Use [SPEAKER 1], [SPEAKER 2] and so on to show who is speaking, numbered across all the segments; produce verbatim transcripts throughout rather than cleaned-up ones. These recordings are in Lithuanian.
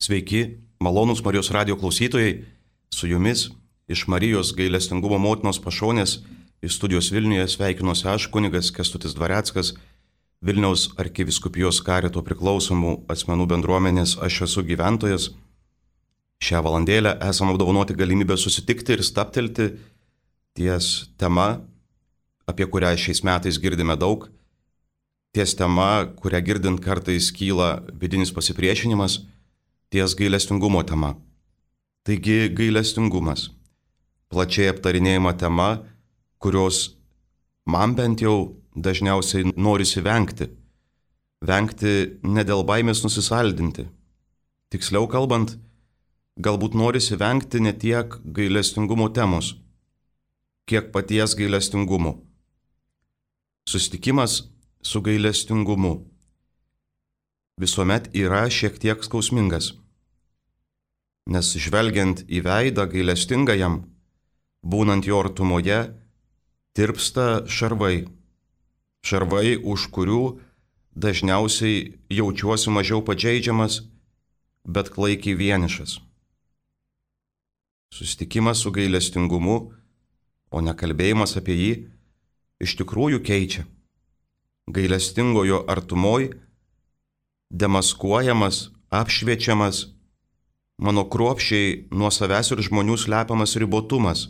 [SPEAKER 1] Sveiki, malonūs Marijos radijo klausytojai, su jumis iš Marijos gailestingumo motinos pašonės iš studijos Vilniuje sveikinuosi aš, kunigas Kęstutis Dvareckas, Vilniaus arkivyskupijos karito priklausomų asmenų bendruomenės Aš esu gyventojas. Šią valandėlę esame apdovanoti galimybę susitikti ir staptelti ties tema, apie kurią šiais metais girdime daug, ties tema, kurią girdint kartais kyla vidinis pasipriešinimas, ties gailestingumo tema. Taigi gailestingumas. Plačiai aptarinėjama tema, kurios man bent jau dažniausiai norisi vengti. Vengti ne dėl baimės nusisaldinti. Tiksliau kalbant, galbūt norisi vengti ne tiek gailestingumo temos, kiek paties gailestingumo. Susitikimas su gailestingumu visuomet yra šiek tiek skausmingas, nes žvelgiant į veidą gailestingajam, būnant jo artumoje, tirpsta šarvai. Šarvai, už kurių dažniausiai jaučiuosi mažiau pažeidžiamas, bet klaikiai vienišas. Susitikimas su gailestingumu, o ne kalbėjimas apie jį, iš tikrųjų keičia. Gailestingojo artumoj demaskuojamas, apšviečiamas mano kruopščiai nuo savęs ir žmonių slepiamas ribotumas,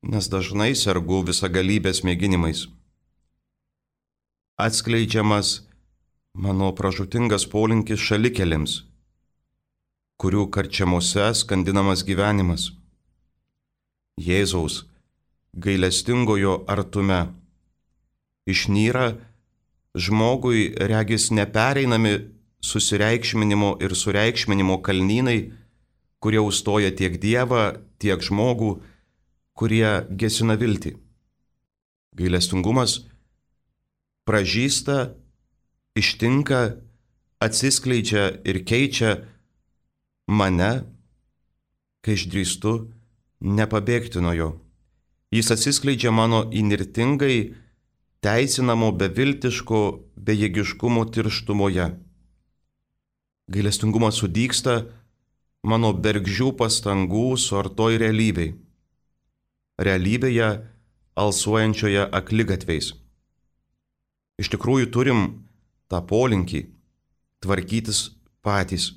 [SPEAKER 1] nes dažnai sergu visagalybės mėginimais. Atskleidžiamas mano pražūtingas polinkis šalikelėms, kurių karčiamose skandinamas gyvenimas. Jėzaus gailestingojo artume išnyra žmogui regis nepereinami susireikšminimo ir sureikšminimo kalnynai, kurie užstoja tiek Dievą, tiek žmogų, kurie gesina viltį. Gailestingumas pražysta, ištinka, atsiskleidžia ir keičia mane, kai išdrįstu nepabėgti nuo jo. Jis atsiskleidžia mano įnirtingai teisinamo beviltiško bejėgiškumo tirštumoje. Gailestingumas sudygsta mano bergždžių pastangų suartoj realybėj. Realybėje alsuojančioje akligatviais. Iš tikrųjų turim tą polinkį tvarkytis patys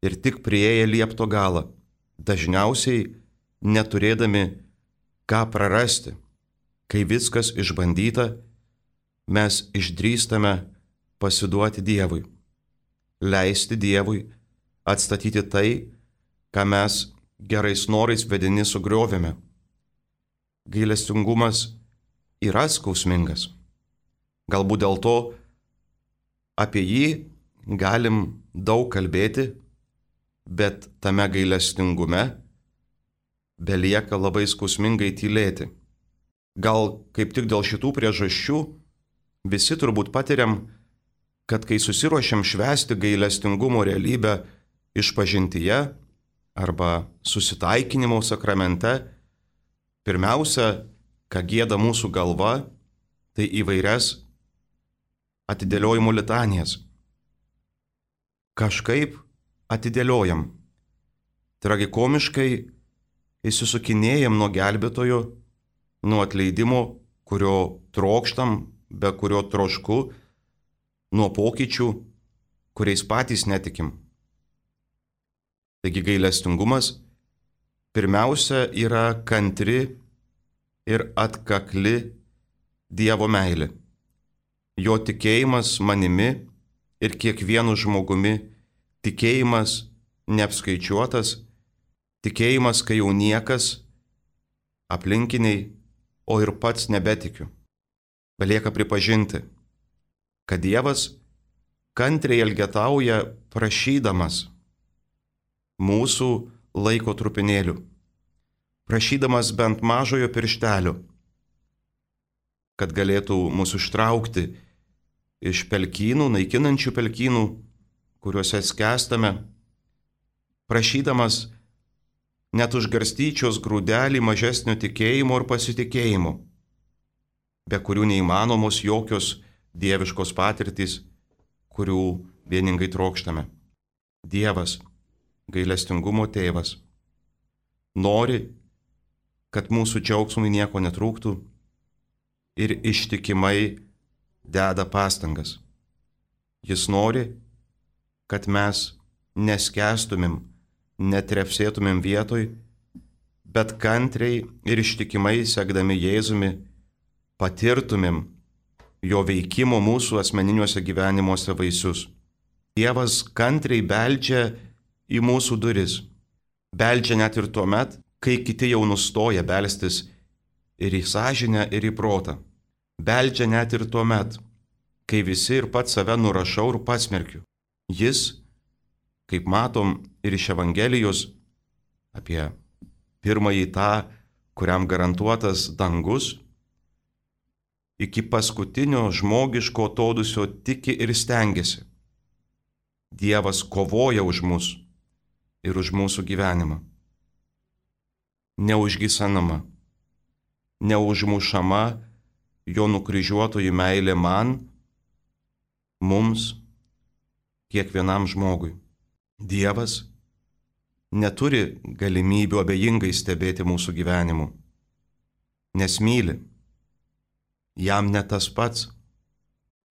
[SPEAKER 1] ir tik priėję liepto galą, dažniausiai neturėdami ką prarasti. Kai viskas išbandyta, mes išdrįstame pasiduoti Dievui, leisti Dievui atstatyti tai, ką mes gerais norais vedini sugriovėme. Gailestingumas yra skausmingas. Galbūt dėl to apie jį galim daug kalbėti, bet tame gailestingume belieka labai skausmingai tylėti. Gal kaip tik dėl šitų priežasčių visi turbūt patiriam, kad kai susiruošiam švęsti gailestingumo realybę išpažintyje arba susitaikinimo sakramente, pirmiausia, ką gieda mūsų galva, tai įvairias atidėliojimo litanijas. Kažkaip atidėliojam. Tragikomiškai išsisukinėjam nuo gelbėtojo, nuo atleidimo, kurio trokštam, be kurio trošku, nuo pokyčių, kuriais patys netikim. Taigi gailestingumas pirmiausia yra kantri ir atkakli Dievo meilė. Jo tikėjimas manimi ir kiekvienu žmogumi, tikėjimas neapskaičiuotas, tikėjimas, kai jau niekas, aplinkiniai, o ir pats nebetikiu. Belieka pripažinti, kad Dievas kantriai elgetauja prašydamas mūsų laiko trupinėlių, prašydamas bent mažojo pirštelio, kad galėtų mūsų ištraukti iš pelkynų, naikinančių pelkynų, kuriuose skęstame, prašydamas net už garstyčios grūdelį mažesnio tikėjimo ir pasitikėjimo, be kurių neįmanomos jokios dieviškos patirtys, kurių vieningai trokštame. Dievas, gailestingumo tėvas, nori, kad mūsų džiaugsmui nieko netrūktų ir ištikimai deda pastangas. Jis nori, kad mes neskęstumėm, netrepsėtumėm vietoj, bet kantriai ir ištikimai sekdami Jėzumi patirtumėm jo veikimo mūsų asmeniniuose gyvenimuose vaisius. Dievas kantriai beldžia į mūsų duris. Beldžia net ir tuo met, kai kiti jau nustoja belstis ir į sąžinę, ir į protą. Beldžia net ir tuo met, kai visi ir pats save nurašau ir pasmerkiu. Jis, kaip matom ir iš Evangelijos apie pirmąjį tą, kuriam garantuotas dangus, iki paskutinio žmogiško atodūsio tiki ir stengiasi. Dievas kovoja už mus ir už mūsų gyvenimą. Neužgysenama, neužmušama jo nukryžiuotojų meilė man, mums, kiekvienam žmogui. Dievas neturi galimybių abejingai stebėti mūsų gyvenimu, nes myli. Jam ne tas pats.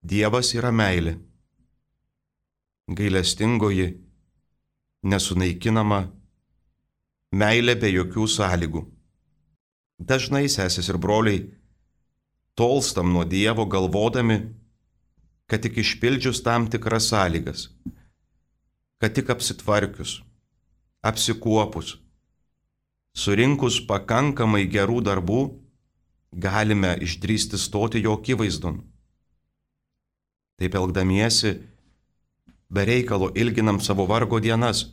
[SPEAKER 1] Dievas yra meilė. Gailestingoji, nesunaikinama, meilė be jokių sąlygų. Dažnai, sesės ir broliai, tolstam nuo Dievo galvodami, kad tik išpildžius tam tikras sąlygas, kad tik apsitvarkius, apsikuopus, surinkus pakankamai gerų darbų, galime išdrįsti stoti jo akivaizdon. Taip elgdamiesi, be reikalo ilginam savo vargo dienas.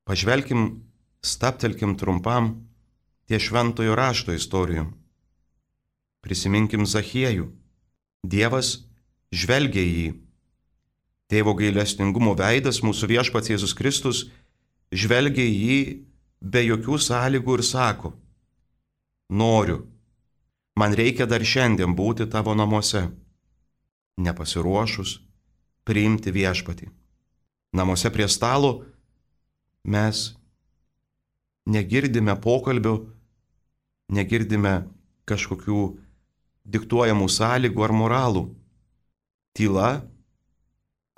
[SPEAKER 1] Pažvelkim, stabtelkim trumpam ties šventojo rašto istorijom. Prisiminkim Zachiejų. Dievas žvelgia į jį. Tėvo gailestingumo veidas, mūsų viešpats Jėzus Kristus, žvelgia į jį be jokių sąlygų ir sako: noriu, man reikia dar šiandien būti tavo namuose, nepasiruošus priimti viešpatį. Namuose prie stalo mes negirdime pokalbių, negirdime kažkokių diktuojamų sąlygų ar moralų. Tyla,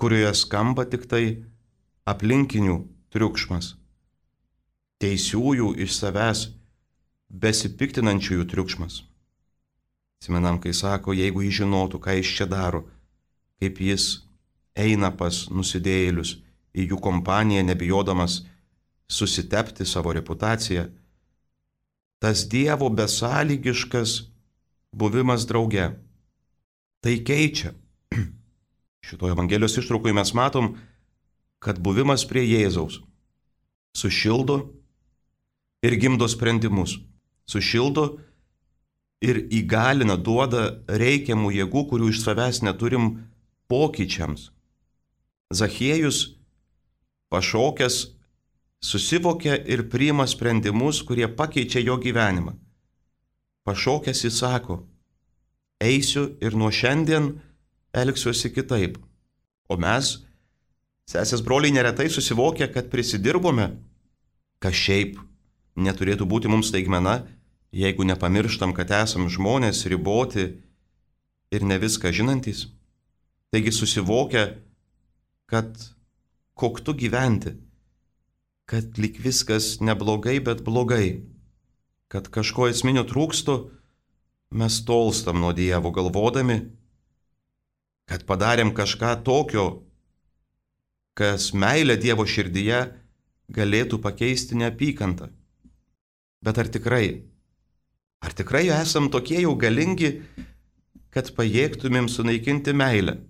[SPEAKER 1] kurioje skamba tik tai aplinkinių triukšmas, teisiųjų iš savęs besipiktinančiųjų triukšmas. Atsimenam, kai sako, jeigu jis žinotų, ką jis čia daro, kaip jis eina pas nusidėjėlius į jų kompaniją, nebijodamas susitepti savo reputaciją. Tas Dievo besąlygiškas buvimas drauge. Tai keičia. Šitoje Evangelijos ištraukoje mes matom, kad buvimas prie Jėzaus sušildo ir gimdo sprendimus. Sušildo ir įgalina, duoda reikiamų jėgų, kurių iš savęs neturim pokyčiams. Zachiejus, pašokęs, susivokia ir priima sprendimus, kurie pakeičia jo gyvenimą. Pašokęs jis sako: eisiu ir nuo šiandien elgsiuosi kitaip. O mes, sesės broliai, neretai susivokia, kad prisidirbome, kas šiaip neturėtų būti mums staigmena, jeigu nepamirštam, kad esam žmonės riboti ir ne viską žinantys. Taigi susivokia, kad koktu gyventi, kad lyg viskas neblogai, bet blogai, kad kažko esminio trūksto, mes tolstam nuo Dievo galvodami, kad padarėm kažką tokio, kas meilę Dievo širdyje galėtų pakeisti neapykantą. Bet ar tikrai, ar tikrai esam tokie jau galingi, kad pajėgtumėm sunaikinti meilę?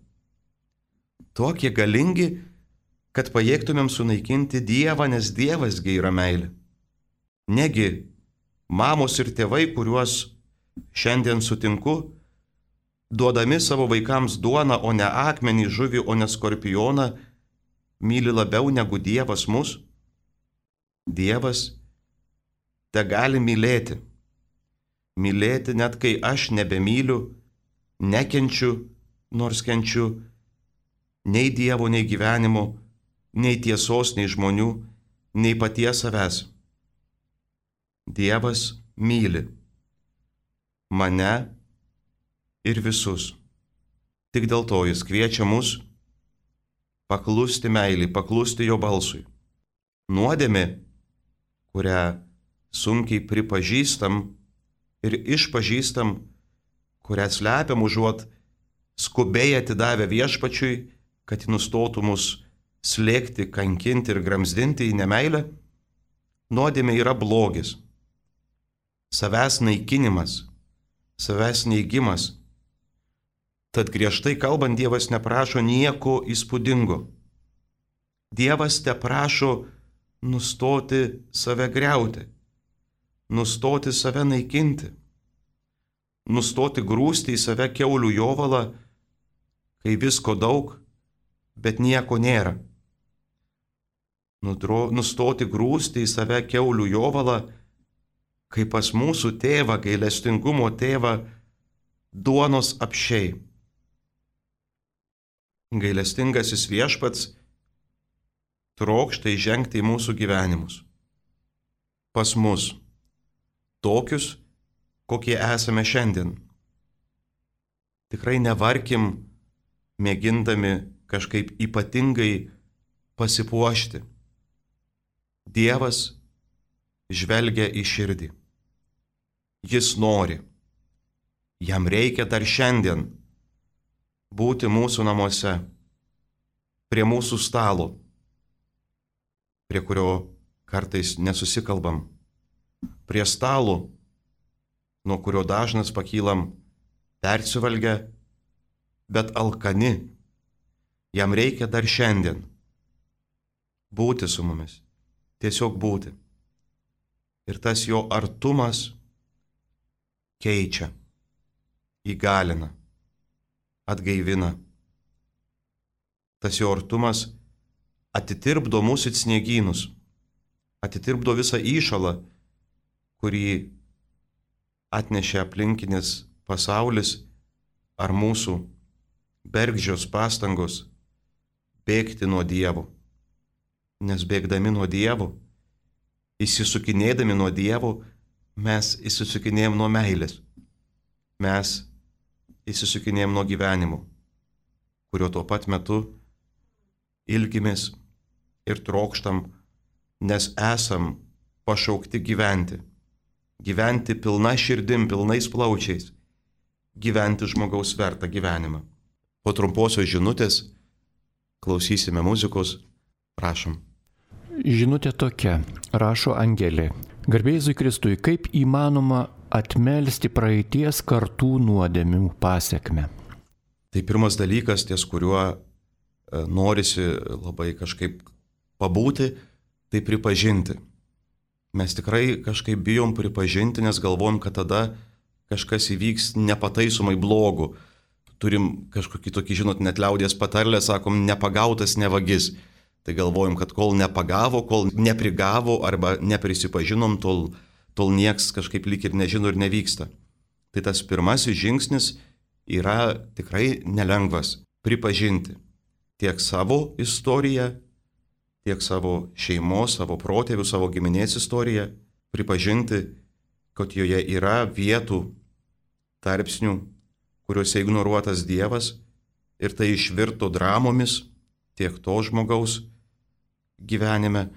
[SPEAKER 1] Tokie galingi, kad pajėgtumėm sunaikinti Dievą, nes Dievasgi yra meilė. Negi mamos ir tėvai, kuriuos šiandien sutinku, duodami savo vaikams duoną, o ne akmenį, žuvį, o ne skorpioną, myli labiau negu Dievas mus? Dievas te gali mylėti. Mylėti net kai aš nebemyliu, nekenčiu, nors kenčiu nei Dievo, nei gyvenimo, nei tiesos, nei žmonių, nei paties savęs. Dievas myli mane ir visus. Tik dėl to jis kviečia mus paklusti meilį, paklusti jo balsui. Nuodėmė, kurią sunkiai pripažįstam ir išpažįstam, kurią slepiam užuot skubiai atidavę viešpačiui, kad ji nustotų mus slėgti, kankinti ir gramzdinti į nemeilę, nuodėmė yra blogis, savęs naikinimas, savęs neigimas. Tad griežtai kalbant, Dievas neprašo nieko įspūdingo. Dievas te prašo nustoti save griauti, nustoti save naikinti, nustoti grūsti į save kiaulių jovalą, kai visko daug, bet nieko nėra. Nudro, nustoti grūsti į save kiaulių jovalą, kai pas mūsų tėvą, gailestingumo tėvą, duonos apsčiai. Gailestingasis viešpats trokšta įžengti į mūsų gyvenimus. Pas mus, tokius, kokie esame šiandien. Tikrai nevarkim, mėgindami kažkaip ypatingai pasipuošti. Dievas žvelgia į širdį. Jis nori. Jam reikia dar šiandien būti mūsų namuose, prie mūsų stalo, prie kurio kartais nesusikalbam, prie stalo, nuo kurio dažnas pakylam persivalgę, bet alkani. Jam reikia dar šiandien būti su mumis, tiesiog būti. Ir tas jo artumas keičia, įgalina, atgaivina. Tas jo artumas atitirpdo mūsų it sniegynus, atitirpdo visą įšalą, kurį atnešė aplinkinis pasaulis ar mūsų bergždžios pastangos bėgti nuo Dievo. Nes bėgdami nuo Dievo, įsisukinėdami nuo Dievo, mes įsisukinėjom nuo meilės. Mes įsisukinėjom nuo gyvenimo, kurio tuo pat metu ilgimės ir trokštam, nes esam pašaukti gyventi. Gyventi pilna širdim, pilnais plaučiais. Gyventi žmogaus vertą gyvenimą. Po trumposios žinutės klausysime muzikos. Prašom.
[SPEAKER 2] Žinutė tokia, rašo Angelė. Garbė Jėzui Kristui, kaip įmanoma atmelsti praeities kartų nuodėmių pasekmę?
[SPEAKER 1] Tai pirmas dalykas, ties kuriuo norisi labai kažkaip pabūti, tai pripažinti. Mes tikrai kažkaip bijom pripažinti, nes galvojam, kad tada kažkas įvyks nepataisomai blogų. Turim kažkokį tokį, žinot, net liaudies patarlę, sakom, nepagautas nevagis. Tai galvojam, kad kol nepagavo, kol neprigavo arba neprisipažinom, tol, tol nieks kažkaip lyg ir nežino ir nevyksta. Tai tas pirmasis žingsnis yra tikrai nelengvas - pripažinti tiek savo istoriją, tiek savo šeimos, savo protėvių, savo giminės istoriją, pripažinti, kad joje yra vietų, tarpsnių, kuriuose ignoruotas Dievas ir tai išvirto dramomis tiek to žmogaus gyvenime.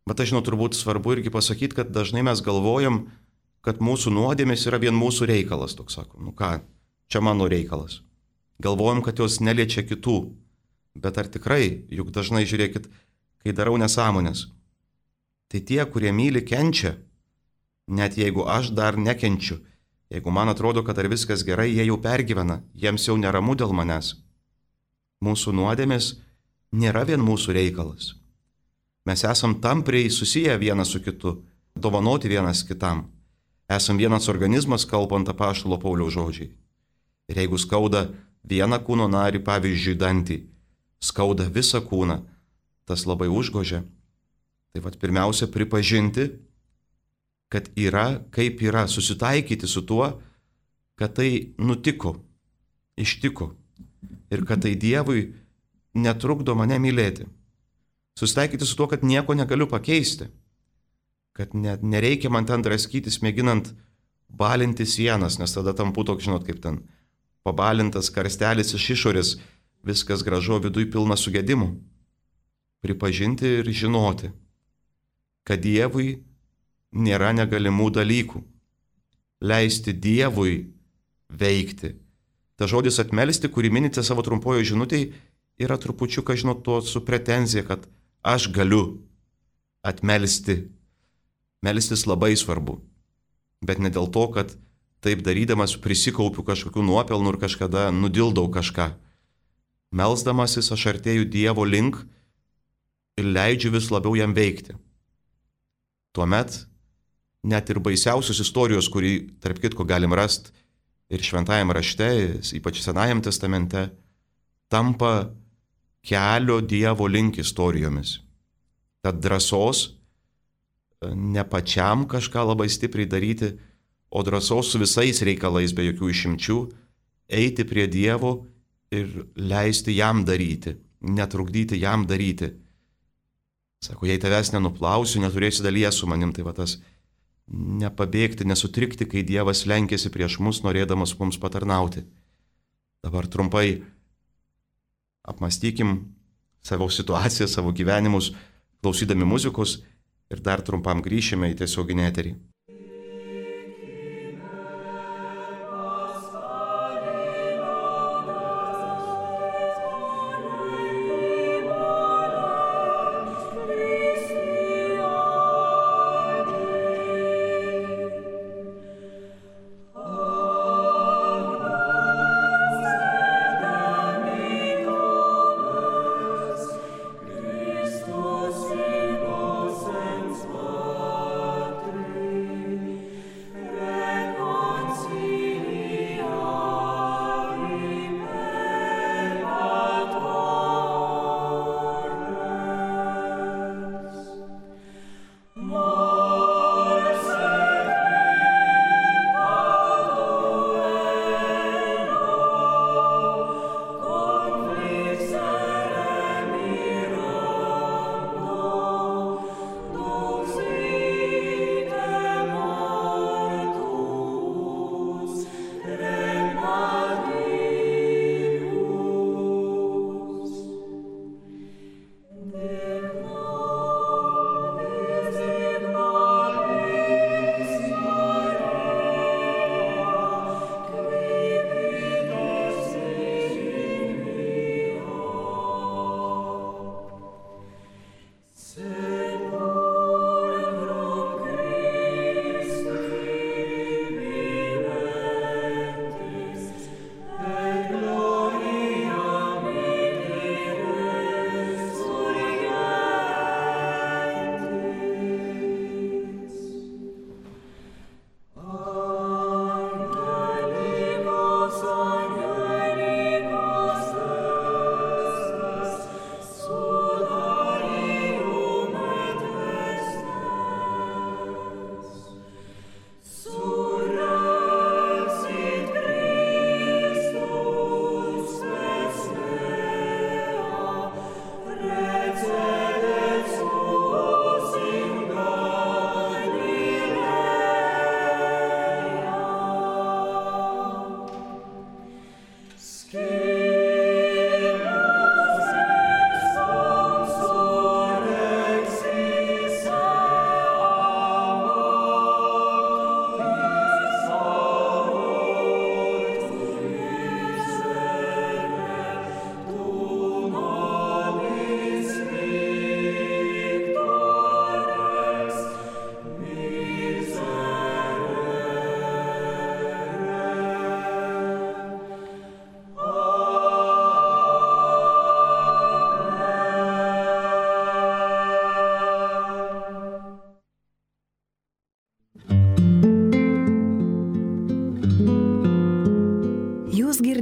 [SPEAKER 1] Bet aš žinau, turbūt svarbu irgi pasakyti, kad dažnai mes galvojam, kad mūsų nuodėmės yra vien mūsų reikalas, toks sakom. Nu ką, čia mano reikalas. Galvojam, kad jos neliečia kitų. Bet ar tikrai, juk dažnai žiūrėkit, kai darau nesąmonės, tai tie, kurie myli, kenčia, net jeigu aš dar nekenčiu. Jeigu man atrodo, kad ar viskas gerai, jie jau pergyvena, jiems jau neramu dėl manęs. Mūsų nuodėmės nėra vien mūsų reikalas. Mes esam tampriai susiję vienas su kitu, dovanoti vienas kitam. Esam vienas organizmas, kalbant apaštalo Pauliaus žodžiai. Ir jeigu skauda vieną kūno narį, pavyzdžiui, dantį, skauda visą kūną, tas labai užgožia. Tai vat pirmiausia pripažinti, kad yra kaip yra, susitaikyti su tuo, kad tai nutiko, ištiko ir kad tai Dievui netrukdo mane mylėti. Susitaikyti su tuo, kad nieko negaliu pakeisti. Kad ne, nereikia man ten draskytis, mėginant balinti sienas, nes tada tampu toks, žinot, kaip ten pabalintas karstelis iš išorės, viskas gražu, viduj pilna sugedimų. Pripažinti ir žinoti, kad Dievui nėra negalimų dalykų. Leisti Dievui veikti. Ta žodis atmelsti, kurį minite savo trumpojo žinutėje, yra trupučiuką, žinot, to su pretenzija, kad aš galiu atmelsti. Melstis labai svarbu. Bet ne dėl to, kad taip darydamas prisikaupiu kažkokių nuopelnų ir kažkada nudildau kažką. Melsdamasis aš artėju Dievo link ir leidžiu vis labiau jam veikti. Tuomet net ir baisiausios istorijos, kurį tarp kitko galim rasti ir šventajame rašte, ypač Senajame testamente, tampa kelio Dievo link istorijomis. Tad drąsos ne pačiam kažką labai stipriai daryti, o drąsos su visais reikalais be jokių išimčių, eiti prie Dievo ir leisti jam daryti, netrukdyti jam daryti. Sako, jei tavęs nenuplausiu, neturėsi dalyje su manim, tai va tas nepabėgti, nesutrikti, kai Dievas lenkėsi prieš mus, norėdamas mums patarnauti. Dabar trumpai apmąstykim savo situaciją, savo gyvenimus, klausydami muzikos ir dar trumpam grįšime į tiesioginį eterį.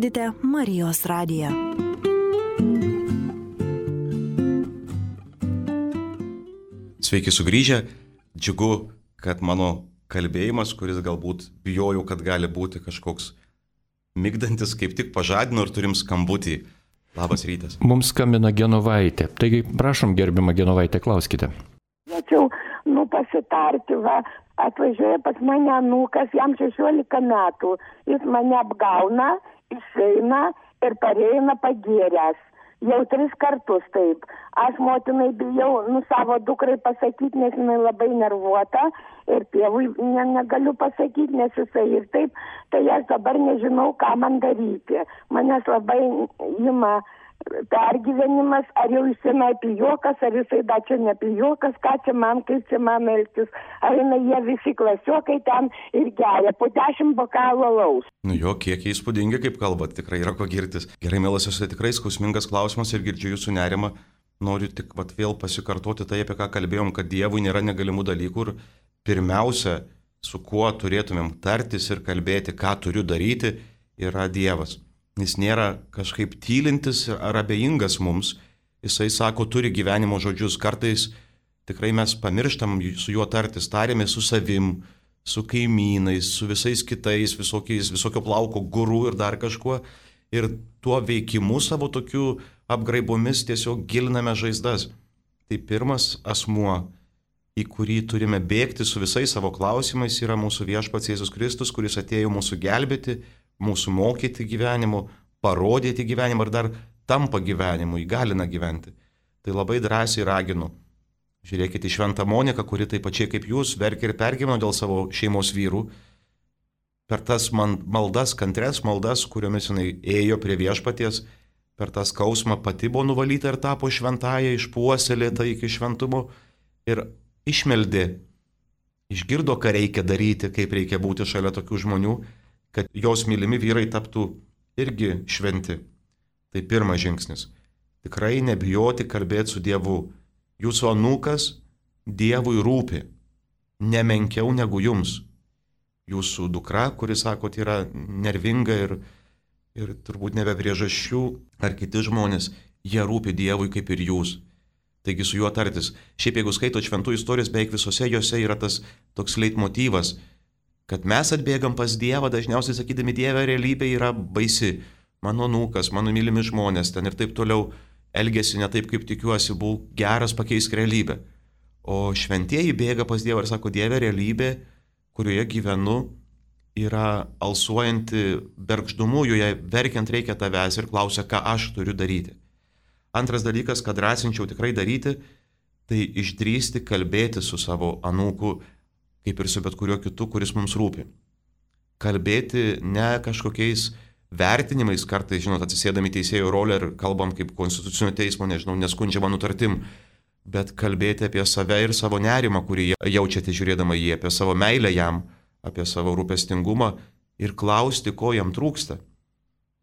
[SPEAKER 3] girdite Marijos radiją.
[SPEAKER 1] Sveiki sugrįžę, džiugu, kad mano kalbėjimas, kuris galbūt bijojau, kad gali būti kažkoks migdantis, kaip tik pažadino ir turim skambutį. Labas rytas.
[SPEAKER 2] Mums skambina Genovaitė. Taigi, prašom, gerbima Genovaitė, klauskite.
[SPEAKER 4] Norėčiau, nu, pasitarti, va, atvažiuoja pas mane anūkas, jam šešiolika metų, jis mane apgauna, išeina ir pareina pagėręs. Jau tris kartus taip. Aš motinai bijau, nu, savo dukrai pasakyti, nes jinai labai nervuota ir tėvui ne, negaliu pasakyti, nes jisai ir taip, tai aš dabar nežinau, ką man daryti. Manęs labai ima pergyvenimas, ar jau jisai pijokas, ar jisai dar čia nepijokas, ką čia man, kaip čia man elgtis. Ar jinai jie visi klasiokai ten ir geria po dešimt bokalų alaus.
[SPEAKER 1] Nu jo, kiek įspūdingi, kaip kalbat, tikrai yra ko girtis. Gerai, mielosios, tai tikrai skausmingas klausimas ir girdžiu jūsų nerimą. Noriu tik vat, vėl pasikartoti tai, apie ką kalbėjom, kad Dievui nėra negalimų dalykų ir pirmiausia, su kuo turėtumėm tartis ir kalbėti, ką turiu daryti, yra Dievas. Jis nėra kažkaip tylintis ar abejingas mums. Jisai sako, turi gyvenimo žodžius. Kartais tikrai mes pamirštam su juo tartis, tarėmės su savim, su kaimynais, su visais kitais, visokiais, visokio plauko gurų ir dar kažkuo. Ir tuo veikimu savo tokiu apgraibomis tiesiog giliname žaizdas. Tai pirmas asmuo, į kurį turime bėgti su visais savo klausimais, yra mūsų viešpats Jėzus Kristus, kuris atėjo mūsų gelbėti, mūsų mokyti gyvenimu, parodyti gyvenimą ir dar tampa gyvenimu, įgalina gyventi. Tai labai drąsiai raginu. Žiūrėkite į Šventą Moniką, kuri taip pačiai kaip jūs verkė ir pergyveno dėl savo šeimos vyrų. Per tas man, maldas, kantres maldas, kuriomis jinai ėjo prie viešpaties, per tą skausmą pati buvo nuvalyta ir tapo šventąja, išpuoselėta iki šventumo ir išmeldė, išgirdo, ką reikia daryti, kaip reikia būti šalia tokių žmonių, kad jos mylimi vyrai taptų irgi šventi. Tai pirmas žingsnis. Tikrai nebijoti kalbėti su Dievu. Jūsų anūkas Dievui rūpi, nemenkiau negu jums. Jūsų dukra, kuris, sakot, yra nervinga ir, ir turbūt nebe priežasčių, ar kiti žmonės, jie rūpi Dievui kaip ir jūs. Taigi su juo tartis. Šiaip jeigu skaito šventų istorijos, beveik visose jose yra tas toks leitmotyvas, kad mes atbėgam pas Dievą, dažniausiai sakydami, Dieve realybė yra baisi. Mano anūkas, mano mylimi žmonės ten ir taip toliau elgesi ne taip, kaip tikiuosi, būk geras, pakeisk realybę. O šventieji bėga pas Dievą ir sako, Dieve realybė, kurioje gyvenu, yra alsuojanti bergždumu, joje verkiant reikia tavęs ir klausia, ką aš turiu daryti. Antras dalykas, kad drąsinčiau tikrai daryti, tai išdrįsti kalbėti su savo anūku, kaip ir su bet kuriuo kitu, kuris mums rūpi. Kalbėti ne kažkokiais vertinimais, kartais, žinot, atsisėdami teisėjo rolę ir kalbam kaip konstitucinio teismo, nežinau, neskundžiama nutartim, bet kalbėti apie save ir savo nerimą, kurį jaučiate žiūrėdama jį, apie savo meilę jam, apie savo rūpestingumą ir klausti, ko jam trūksta.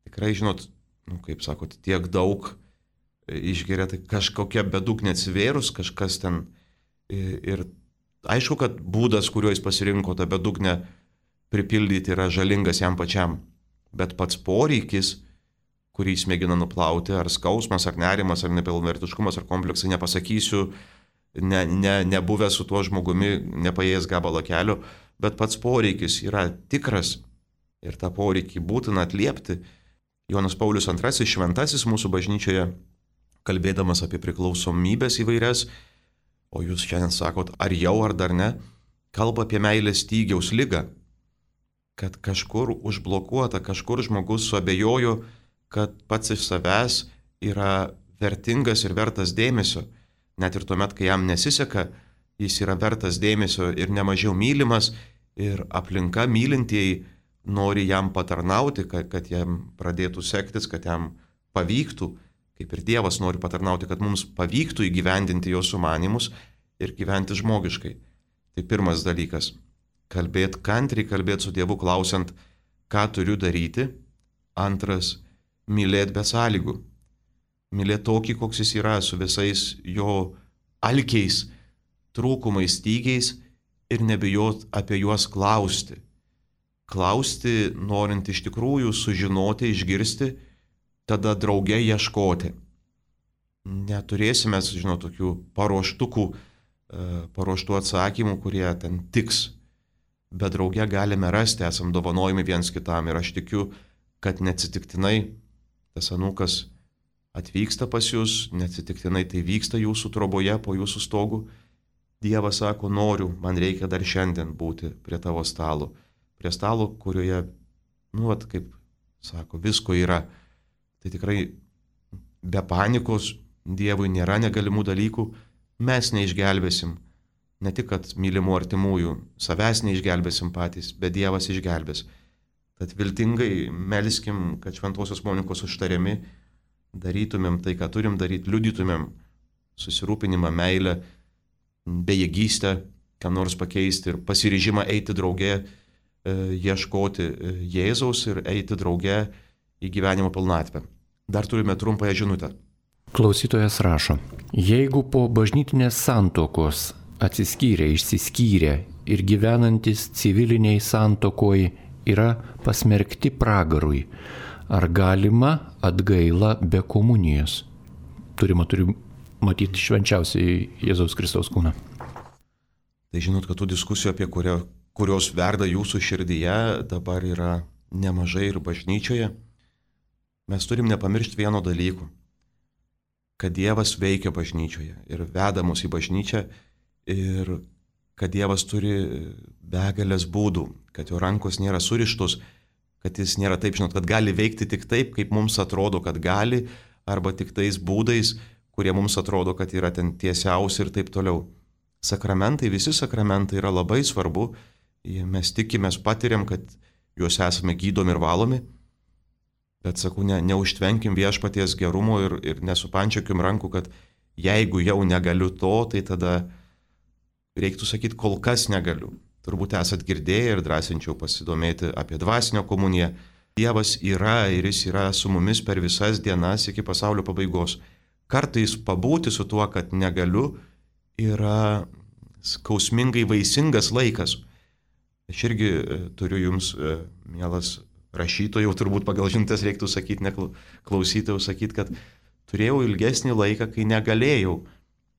[SPEAKER 1] Tikrai, žinot, nu, kaip sakot, tiek daug išgeria, tai kažkokia bedugnė atsivėrus, kažkas ten ir aišku, kad būdas, kuriuo jis pasirinko tą bedugnę pripildyti, yra žalingas jam pačiam, bet pats poreikis, kurį jis mėgina nuplauti, ar skausmas, ar nerimas, ar nepilnavertiškumas, ar kompleksai, nepasakysiu, ne, ne, nebuvęs su tuo žmogumi, nepaėjęs gabalą kelio, bet pats poreikis yra tikras ir tą poreikį būtina atliepti. Jonas Paulius antrasis, šventasis mūsų bažnyčioje, kalbėdamas apie priklausomybės įvairias, o jūs šiandien sakot, ar jau, ar dar ne, kalba apie meilės stygiaus ligą, kad kažkur užblokuota, kažkur žmogus suabejojo, kad pats iš savęs yra vertingas ir vertas dėmesio. Net ir tuomet, kai jam nesiseka, jis yra vertas dėmesio ir nemažiau mylimas, ir aplinka mylintieji nori jam patarnauti, kad, kad jam pradėtų sektis, kad jam pavyktų, kaip ir Dievas nori patarnauti, kad mums pavyktų įgyvendinti jo sumanymus ir gyventi žmogiškai. Tai pirmas dalykas. Kalbėti kantriai, kalbėti su Dievu, klausiant, ką turiu daryti. Antras, mylėti be sąlygų. Mylėti tokį, koks jis yra, su visais jo alkiais, trūkumais, stygiais ir nebijot apie juos klausti. Klausti, norint iš tikrųjų sužinoti, išgirsti, tada drauge ieškoti. Neturėsime, žinau, tokių paruoštukų, paruoštų atsakymų, kurie ten tiks. Bet drauge galime rasti, esam dovanojami viens kitam. Ir aš tikiu, kad neatsitiktinai tas anūkas atvyksta pas jūs, neatsitiktinai tai vyksta jūsų troboje po jūsų stogu. Dievas sako, noriu, man reikia dar šiandien būti prie tavo stalo. Prie stalo, kurioje, nu, vat, kaip sako, visko yra. Tai tikrai be panikos Dievui nėra negalimų dalykų. Mes neišgelbėsim. Ne tik, kad mylimų artimųjų, savęs neišgelbėsim patys, bet Dievas išgelbės. Tad viltingai melskim, kad Šventosios Monikos užtariami darytumėm tai, ką turim daryti, liudytumėm susirūpinimą, meilę, bejėgystę, ką nors pakeisti ir pasiryžimą eiti drauge, ieškoti Jėzaus ir eiti drauge į gyvenimo pilnatvę. Dar turime trumpąją žinutę.
[SPEAKER 2] Klausytojas rašo, jeigu po bažnytinės santuokos atsiskyrę, išsiskyrę ir gyvenantis civiliniai santokoj yra pasmerkti pragarui, ar galima atgaila be komunijos? Turima turi matyti švenčiausiai Jėzaus Kristaus kūną.
[SPEAKER 1] Tai žinot, kad tų diskusijų, apie kurio, kurios verda jūsų širdyje, dabar yra nemažai ir bažnyčioje. Mes turim nepamiršti vieno dalyko, kad Dievas veikia bažnyčioje ir veda mus į bažnyčią ir kad Dievas turi begalės būdų, kad jo rankos nėra surištos, kad jis nėra taip, žinot, kad gali veikti tik taip, kaip mums atrodo, kad gali, arba tik tais būdais, kurie mums atrodo, kad yra ten tiesiausi ir taip toliau. Sakramentai, visi sakramentai yra labai svarbu, mes tikimės, patiriam, kad juos esame gydomi ir valomi, bet sakau, ne, neužtvenkim viešpaties gerumo ir, ir nesupančiokim rankų, kad jeigu jau negaliu to, tai tada reiktų sakyti, kol kas negaliu. Turbūt esat girdėję ir drąsinčiau pasidomėti apie dvasinę komuniją. Dievas yra ir jis yra su mumis per visas dienas iki pasaulio pabaigos. Kartais pabūti su tuo, kad negaliu, yra skausmingai vaisingas laikas. Aš irgi turiu jums, mielas rašytojau, turbūt pagal žinutės reiktų sakyti, ne klausytojau sakyti, kad turėjau ilgesnį laiką, kai negalėjau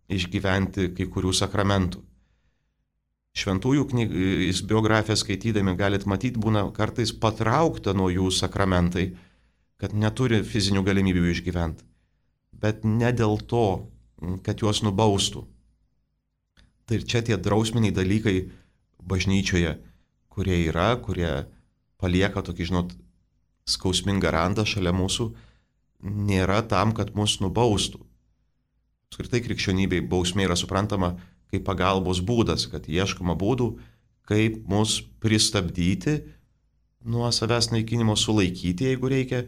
[SPEAKER 1] išgyventi kai kurių sakramentų. Šventųjų knygos biografiją skaitydami galit matyti, būna kartais patraukta nuo jų sakramentai, kad neturi fizinių galimybių išgyventi. Bet ne dėl to, kad juos nubaustų. Tai ir čia tie drausminiai dalykai bažnyčioje, kurie yra, kurie palieka tokį, žinot, skausmingą randą šalia mūsų, nėra tam, kad mus nubaustų. Apskritai krikščionybei bausmė yra suprantama kaip pagalbos būdas, kad ieškoma būdų, kaip mus pristabdyti nuo savęs naikinimo, sulaikyti, jeigu reikia,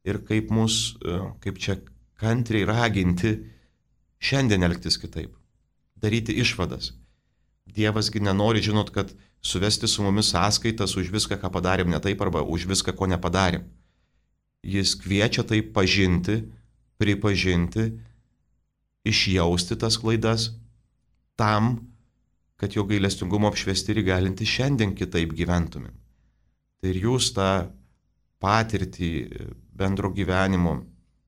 [SPEAKER 1] ir kaip mus, kaip čia kantriai raginti šiandien elgtis kitaip, daryti išvadas. Dievasgi nenori, žinot, kad suvesti su mumis sąskaitas už viską, ką padarėm ne taip, arba už viską, ko nepadarėm. Jis kviečia tai pažinti, pripažinti, išjausti tas klaidas, tam, kad jo gailestingumo apšviesti ir įgalinti šiandien kitaip gyventumėm. Tai ir jūs tą patirtį bendro gyvenimo,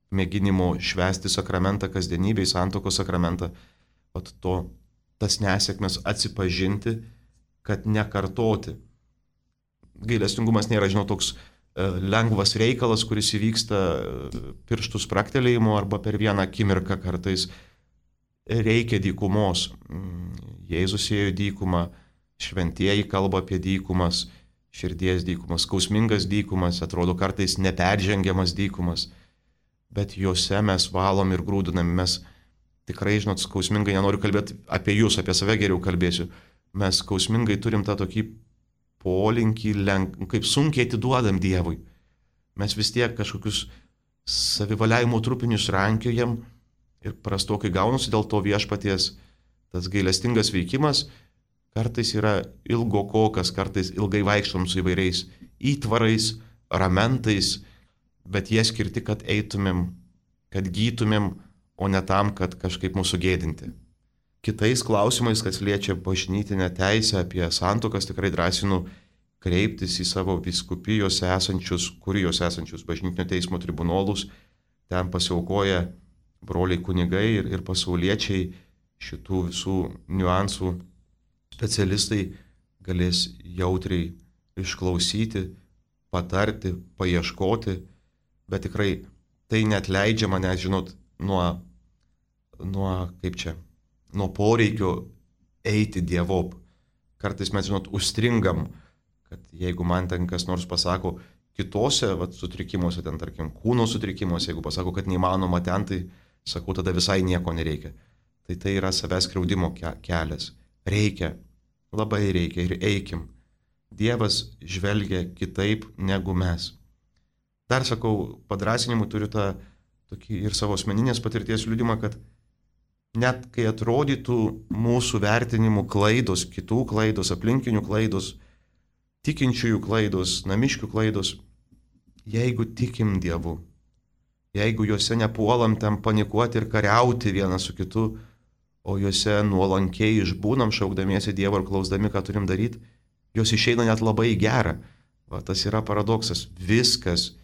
[SPEAKER 1] mėginimo švęsti sakramentą kasdienybėj, santuokos sakramentą, o to, tas nesėkmes atsipažinti, kad nekartoti. Gailestingumas nėra, žinau, toks lengvas reikalas, kuris įvyksta pirštų spraktelėjimu arba per vieną akimirką kartais. Reikia dykumos. Jėzus ėjo dykumą, šventieji kalba apie dykumas, širdies dykumas, skausmingas dykumas, atrodo kartais neperžengiamas dykumas, bet juose mes valom ir grūdinam. Mes tikrai, žinot, skausmingai, nenoriu kalbėti apie jūs, apie save geriau kalbėsiu, mes skausmingai turim tą tokį polinkį, lenk, kaip sunkiai atiduodam Dievui. Mes vis tiek kažkokius savivaliavimo trupinius rankiojam ir prastokai gaunasi, dėl to viešpaties tas gailestingas veikimas kartais yra ilgokokas, kartais ilgai vaikštom su įvairiais įtvarais, ramentais, bet jie skirti, kad eitumėm, kad gytumėm, o ne tam, kad kažkaip mūsų gėdinti. Kitais klausimais, kas liečia bažnytinę teisę apie santuokas, tikrai drąsinu kreiptis į savo vyskupijose esančius, kurijose esančius bažnytinio teismo tribunolus. Ten pasiaukoja broliai kunigai ir, ir pasauliečiai, šitų visų niuansų specialistai galės jautriai išklausyti, patarti, paieškoti, bet tikrai tai net leidžia mane, žinot, nuo, nuo, kaip čia, nuo poreikio eiti Dievop. Kartais mes, žinot, užstringam, kad jeigu man ten kas nors pasako, kitose vat, sutrikimuose, ten tarkim kūno sutrikimuose, jeigu pasako, kad neįmanoma ten, tai sakau, tada visai nieko nereikia. Tai tai yra savęs skriaudimo kelias. Reikia, labai reikia ir eikim. Dievas žvelgia kitaip negu mes. Dar sakau, padrasinimu turiu tą tokį ir savo asmeninės patirties liudimą, kad net kai atrodytų mūsų vertinimų klaidos, kitų klaidos, aplinkinių klaidos, tikinčiųjų klaidos, namiškių klaidos, jeigu tikim Dievu, jeigu juose nepuolam ten panikuoti ir kariauti vienas su kitu, o juose nuolankiai išbūnam, šaukdamiesi Dievo ir klausdami, ką turim daryti, jos išeina net labai į gerą. Va, tas yra paradoksas. Viskas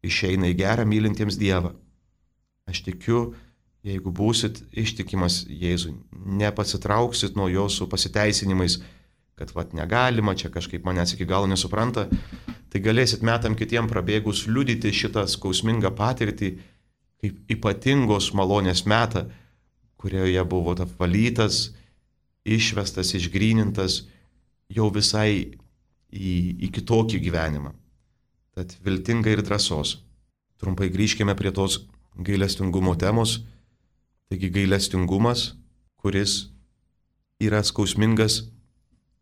[SPEAKER 1] išeina į gerą mylintiems Dievą. Aš tikiu, jeigu būsit ištikimas Jėzui, nepasitrauksit nuo jo su pasiteisinimais, kad vat negalima, čia kažkaip manęs iki galo nesupranta, tai galėsit metam kitiem prabėgus liudyti šitą skausmingą patirtį kaip ypatingos malonės metą, kurioje buvo apvalytas, išvestas, išgrynintas jau visai į, į kitokį gyvenimą. Tad viltingai ir drąsos. Trumpai grįžkime prie tos gailestingumo temos. Taigi gailestingumas, kuris yra skausmingas,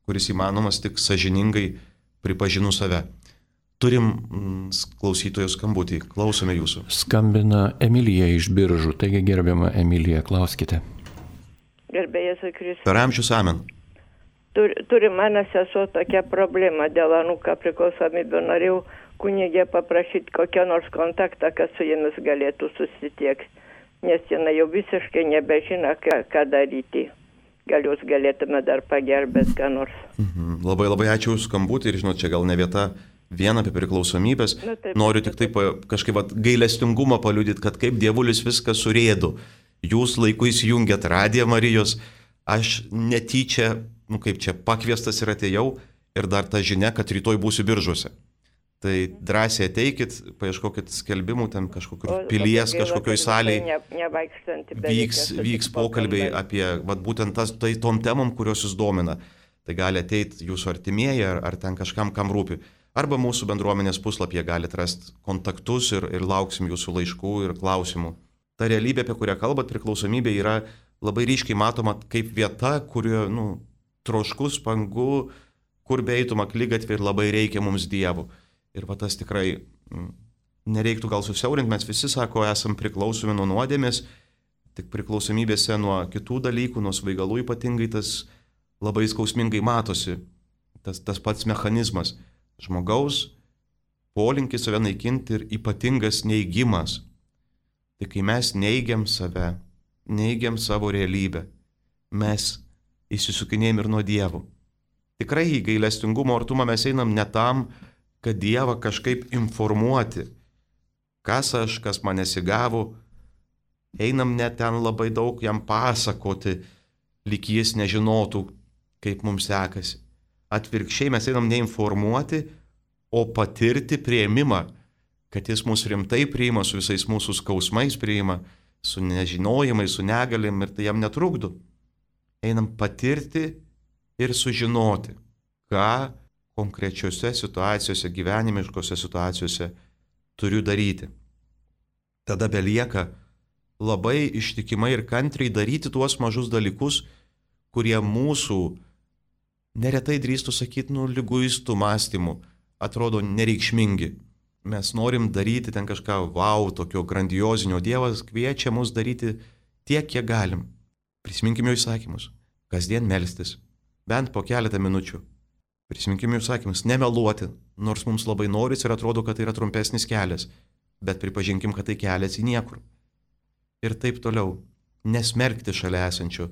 [SPEAKER 1] kuris įmanomas tik sąžiningai pripažinus save. Turim mm, klausytojų skambutį, klausome jūsų.
[SPEAKER 2] Skambina Emilija iš Biržų, taigi gerbiama Emilija, klauskite.
[SPEAKER 5] Gerbėjas Kristus.
[SPEAKER 1] Per amžius amen.
[SPEAKER 5] Tur, turi mano sesuo tokia problema dėl anūką priklausomybių. Norėjau kunigė paprašyti kokią nors kontaktą, kad su jomis galėtų susitiekti, nes jinai jau visiškai nebežino, ką, ką daryti. Gal jūs galėtume dar pagerbėti ką nors.
[SPEAKER 1] Mhm. Labai labai ačiū už skambutį ir žinot, čia gal ne vieta vien apie priklausomybės. Na, taip, Noriu tik taip kažkaip vat, gailestingumą paliudyti, kad kaip dievulis viską surėdo. Jūs laiku įsijungėt radiją Marijos, aš netyčia, nu kaip čia, pakviestas ir atėjau ir dar ta žinia, kad rytoj būsiu Biržuose. Tai drąsiai ateikit, paieškokit skelbimų, ten kažkokiu pilies, kažkokioj salėj
[SPEAKER 5] ne,
[SPEAKER 1] vyks, vyks pokalbiai apie vat, būtent tas, tai tom temom, kurios jūs domina. Tai gali ateiti jūsų artimieji ar, ar ten kažkam, kam rūpi. Arba mūsų bendruomenės puslapyje galite rasti kontaktus ir, ir lauksim jūsų laiškų ir klausimų. Ta realybė, apie kurią kalbat, priklausomybė yra labai ryškiai matoma kaip vieta, kurioje, nu, troškus, pangu, kur beeitum akligatvį ir labai reikia mums Dievo. Ir va tas tikrai m, nereiktų gal susiaurinti, mes visi, sako, esam priklausomi nuo nuodėmės, tik priklausomybėse nuo kitų dalykų, nuo svaigalų ypatingai tas labai skausmingai matosi, tas, tas pats mechanizmas. Žmogaus polinkis save naikinti ir ypatingas neigimas. Tai kai mes neigiam save, neigiam savo realybę, mes įsisukinėjom ir nuo Dievo. Tikrai į gailestingumo artumą mes einam ne tam, kad Dievą kažkaip informuoti, kas aš, kas man nesigavo, einam net ten labai daug jam pasakoti, lyg jis nežinotų, kaip mums sekasi. Atvirkščiai mes einam neinformuoti, o patirti priėmimą, kad jis mus rimtai priima, su visais mūsų skausmais priima, su nežinojimais, su negalim ir tai jam netrukdo. Einam patirti ir sužinoti, ką konkrečiose situacijose, gyvenimiškose situacijose turiu daryti. Tada belieka labai ištikimai ir kantriai daryti tuos mažus dalykus, kurie mūsų neretai drįstų sakyti, nu, liguistų mąstymų, atrodo nereikšmingi. Mes norim daryti ten kažką, wow, tokio grandiozinio. Dievas kviečia mus daryti tiek, kiek galim. Prisiminkim jo įsakymus. Kasdien melstis. Bent po keletą minučių. Prisiminkim jo įsakymus. Nemeluoti, nors mums labai noris ir atrodo, kad tai yra trumpesnis kelias. Bet pripažinkim, kad tai kelias į niekur. Ir taip toliau. Nesmerkti šalia esančio.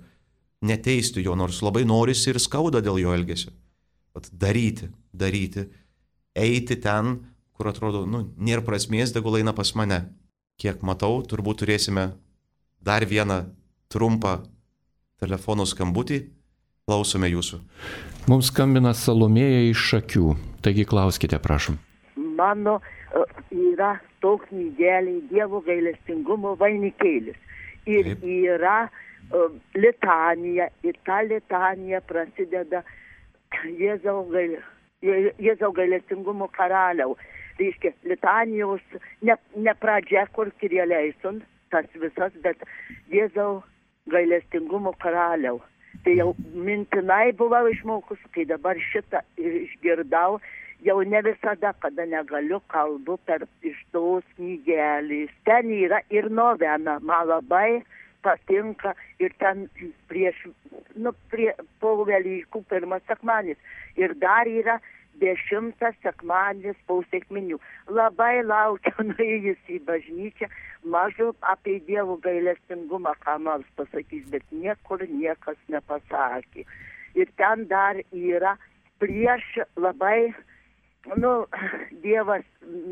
[SPEAKER 1] Neteisti jo, nors labai norisi ir skauda dėl jo elgesio. Vat daryti, daryti, eiti ten, kur atrodo, nu, nėra prasmės, tegul eina pas mane. Kiek matau, turbūt turėsime dar vieną trumpą telefono skambutį. Klausome jūsų.
[SPEAKER 2] Mums skambina Salomėja iš Šakių, taigi klauskite, prašom.
[SPEAKER 6] Mano yra toks knygeliai Dievo gailestingumo vainikėlis. Ir Taip. Yra uh, litanija, ir ta litanija prasideda Jėzaus gail, Jėzau gailestingumo karaliau. Reiškia, litanijos ne, ne pradžia, kur kirėleison, tas visas, bet Jėzau gailestingumo karaliau. Tai jau mintinai buvau išmokus, kai dabar šitą išgirdau, jau ne visada, kada negaliu, kalbu per iš tos knygelės. Ten yra ir novena, man labai patinka ir ten prieš, nu, prie, po Velykų pirmas sekmadienis. Ir dar yra dešimtas sekmadienis po sekminių. Labai laukiu nuėjus į bažnyčią, mažu apie Dievo gailestingumą, ką nors pasakys, bet niekur niekas nepasakė. Ir ten dar yra prieš labai, nu, Dievas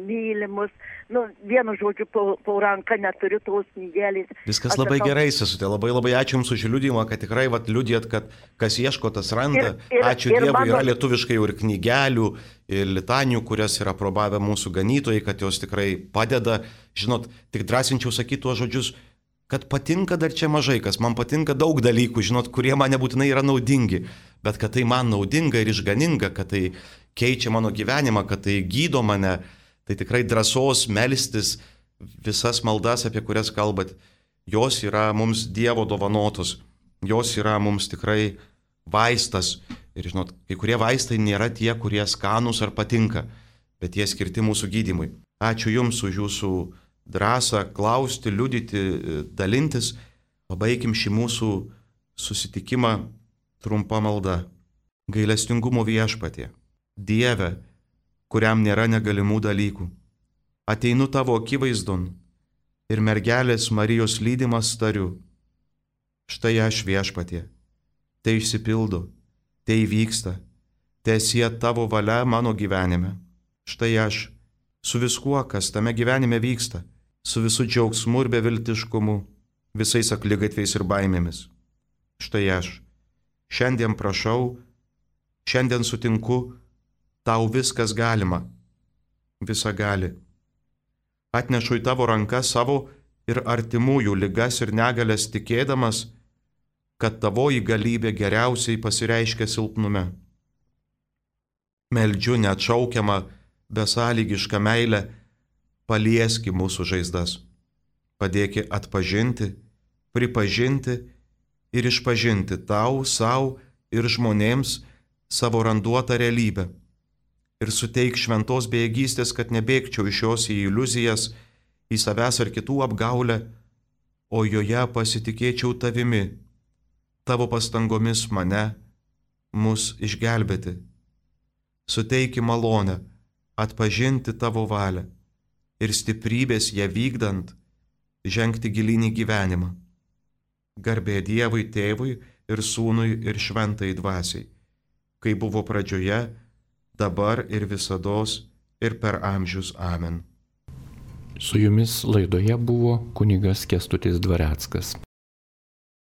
[SPEAKER 6] mylimus, nu, vienu žodžiu, po, po ranką neturiu tos knygelės.
[SPEAKER 1] Viskas labai sakau, gerai, sesutė, labai labai ačiū Jums už liudijimą, kad tikrai vat, liudijat, kad kas ieško, tas randa. Ir, ir, ačiū ir Dievui, mano... yra lietuviškai ir knygelių, ir litanijų, kurias yra aprobavę mūsų ganytojai, kad jos tikrai padeda. Žinot, tik drąsinčiau sakyti tuos žodžius, kad patinka dar čia mažai, kas man patinka daug dalykų, žinot, kurie man nebūtinai yra naudingi, bet kad tai man naudinga ir išganinga, kad tai keičia mano gyvenimą, kad tai gydo mane, tai tikrai drąsos melstis, visas maldas, apie kurias kalbat, jos yra mums Dievo dovanotos, jos yra mums tikrai vaistas. Ir žinot, kai kurie vaistai nėra tie, kurie skanūs ar patinka, bet jie skirti mūsų gydymui. Ačiū Jums už Jūsų drąsą klausti, liudyti, dalintis. Pabaikim šį mūsų susitikimą trumpa malda. Gailestingumo Viešpatie, Dieve, kuriam nėra negalimų dalykų, ateinu Tavo akivaizdon ir mergelės Marijos lydimas tariu. Štai aš, Viešpatie, tai išsipildo, tai įvyksta, teesie Tavo valia mano gyvenime. Štai aš, su viskuo, kas tame gyvenime vyksta, su visu džiaugsmu ir beviltiškumu, visais akligatviais ir baimėmis. Štai aš, šiandien prašau, šiandien sutinku, Tau viskas galima, visa gali. Atnešu į Tavo rankas savo ir artimųjų ligas ir negalės tikėdamas, kad Tavoji galybė geriausiai pasireiškia silpnume. Meldžiu neatšaukiamą, besąlygišką meilę, palieski mūsų žaizdas. Padėki atpažinti, pripažinti ir išpažinti Tau, savo ir žmonėms savo randuotą realybę. Ir suteik šventos bejėgystės, kad nebėgčiau iš jos į iliuzijas, į savęs ar kitų apgaulę, o joje pasitikėčiau Tavimi, Tavo pastangomis mane, mus išgelbėti. Suteiki malonę, atpažinti Tavo valią ir stiprybės ją vykdant, žengti gilinį gyvenimą. Garbė Dievui Tėvui ir Sūnui ir Šventai Dvasiai, kai buvo pradžioje, dabar ir visados ir per amžius. Amen.
[SPEAKER 2] Su jumis laidoje buvo kunigas Kęstutis Dvareckas.